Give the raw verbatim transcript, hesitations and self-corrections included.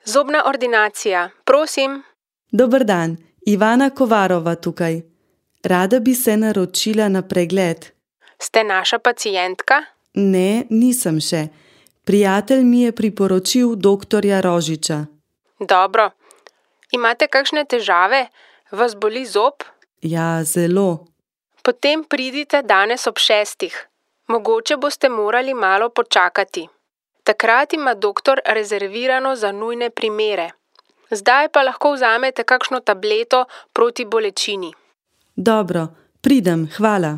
Zobna ordinacija, prosim. Dober dan, Ivana Kovarova tukaj. Rada bi se naročila na pregled. Ste naša pacientka? Ne, nisem še. Prijatelj mi je priporočil doktorja Rožiča. Dobro. Imate kakšne težave? Vas boli zob? Ja, zelo. Potem pridite danes ob šestih. Mogoče boste morali malo počakati. Takrat ima doktor rezervirano za nujne primere. Zdaj pa lahko vzamete kakšno tableto proti bolečini. Dobro, pridem, hvala.